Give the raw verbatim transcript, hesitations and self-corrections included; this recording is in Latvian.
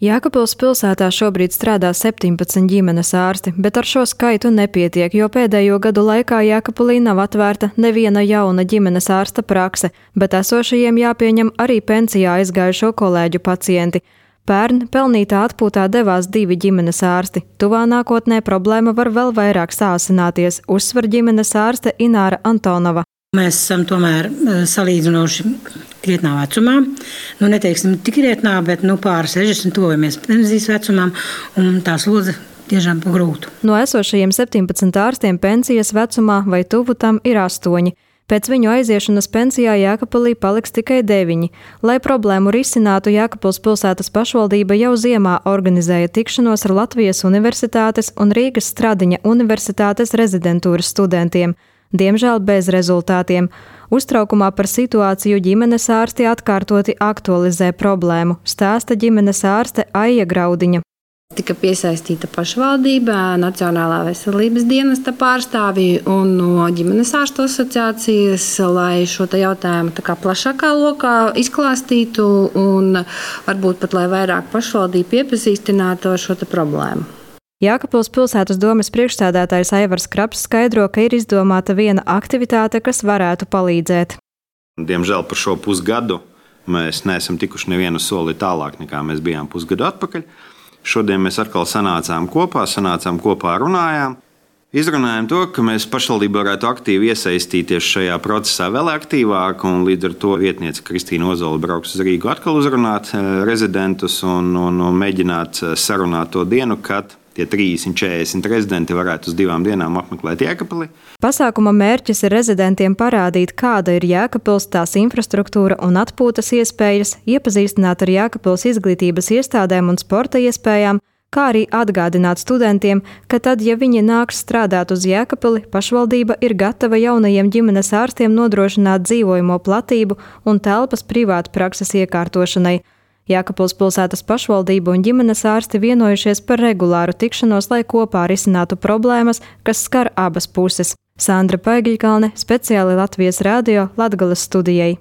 Jēkabpils pilsētā šobrīd strādā septiņpadsmit ģimenes ārsti, bet ar šo skaitu nepietiek, jo pēdējo gadu laikā Jēkabpilī nav atvērta neviena jauna ģimenes ārsta prakse, bet esošajiem jāpieņem arī pensijā aizgājušo kolēģu pacienti. Pērn pelnītā atpūtā devās divi ģimenes ārsti. Tuvā nākotnē problēma var vēl vairāk sāsināties, uzsver ģimenes ārste Ināra Antonova. Mēs esam tomēr salīdzinoši krietnā vecumā. Nu, neteiksim tik krietnā, bet nu, pār sešdesmit tuvojamies pensijas vecumam, un tā slodze tiešām pagrūtu. No esošajiem septiņpadsmit ārstiem pensijas vecumā vai tuvu tam ir astoņi. Pēc viņu aiziešanas pensijā Jēkabpilī paliks tikai deviņi. Lai problēmu risinātu, Jēkabpils pilsētas pašvaldība jau ziemā organizēja tikšanos ar Latvijas Universitātes un Rīgas Stradiņa Universitātes rezidentūras studentiem. Diemžēl bez rezultātiem. Uztraukumā par situāciju ģimenes ārsti atkārtoti aktualizē problēmu, stāsta ģimenes ārste Aija Graudiņa. Tika piesaistīta pašvaldība, Nacionālā veselības dienesta pārstāvji un no ģimenes ārstu asociācijas, lai šo jautājumu tā kā plašākā lokā izklāstītu un varbūt pat lai vairāk pašvaldība piepazīstinātu ar šo problēmu. Jēkabpils pilsētas domes priekšsēdētājs Aivars Kraps skaidro, ka ir izdomāta viena aktivitāte, kas varētu palīdzēt. Diemžēl par šo pusgadu mēs neesam tikuši nevienu soli tālāk, nekā mēs bijām pusgadu atpakaļ. Šodien mēs atkal sanācām kopā, sanācām kopā, runājām. Izrunājām to, ka mēs pašvaldība varētu aktīvi iesaistīties šajā procesā vēl aktīvāk, un līdz ar to vietniece Kristīna Ozola brauks uz Rīgu atkal uzrunāt rezidentus un, un, un mēģināt sarunāt to dienu, kad tie trīsdesmit četrdesmit rezidenti varētu uz divām dienām apmeklēt Jēkabpili. Pasākuma mērķis ir rezidentiem parādīt, kāda ir Jēkabpils, tās infrastruktūra un atpūtas iespējas, iepazīstināt ar Jēkabpils izglītības iestādēm un sporta iespējām, kā arī atgādināt studentiem, ka tad, ja viņi nāks strādāt uz Jēkabpili, pašvaldība ir gatava jaunajiem ģimenes ārstiem nodrošināt dzīvojamo platību un telpas privātu prakses iekārtošanai. Jēkabpils pilsētas pašvaldība un ģimenes ārsti vienojušies par regulāru tikšanos, lai kopā risinātu problēmas, kas skar abas puses. Sandra Paigļkalne, speciāli Latvijas radio Latgales studijai.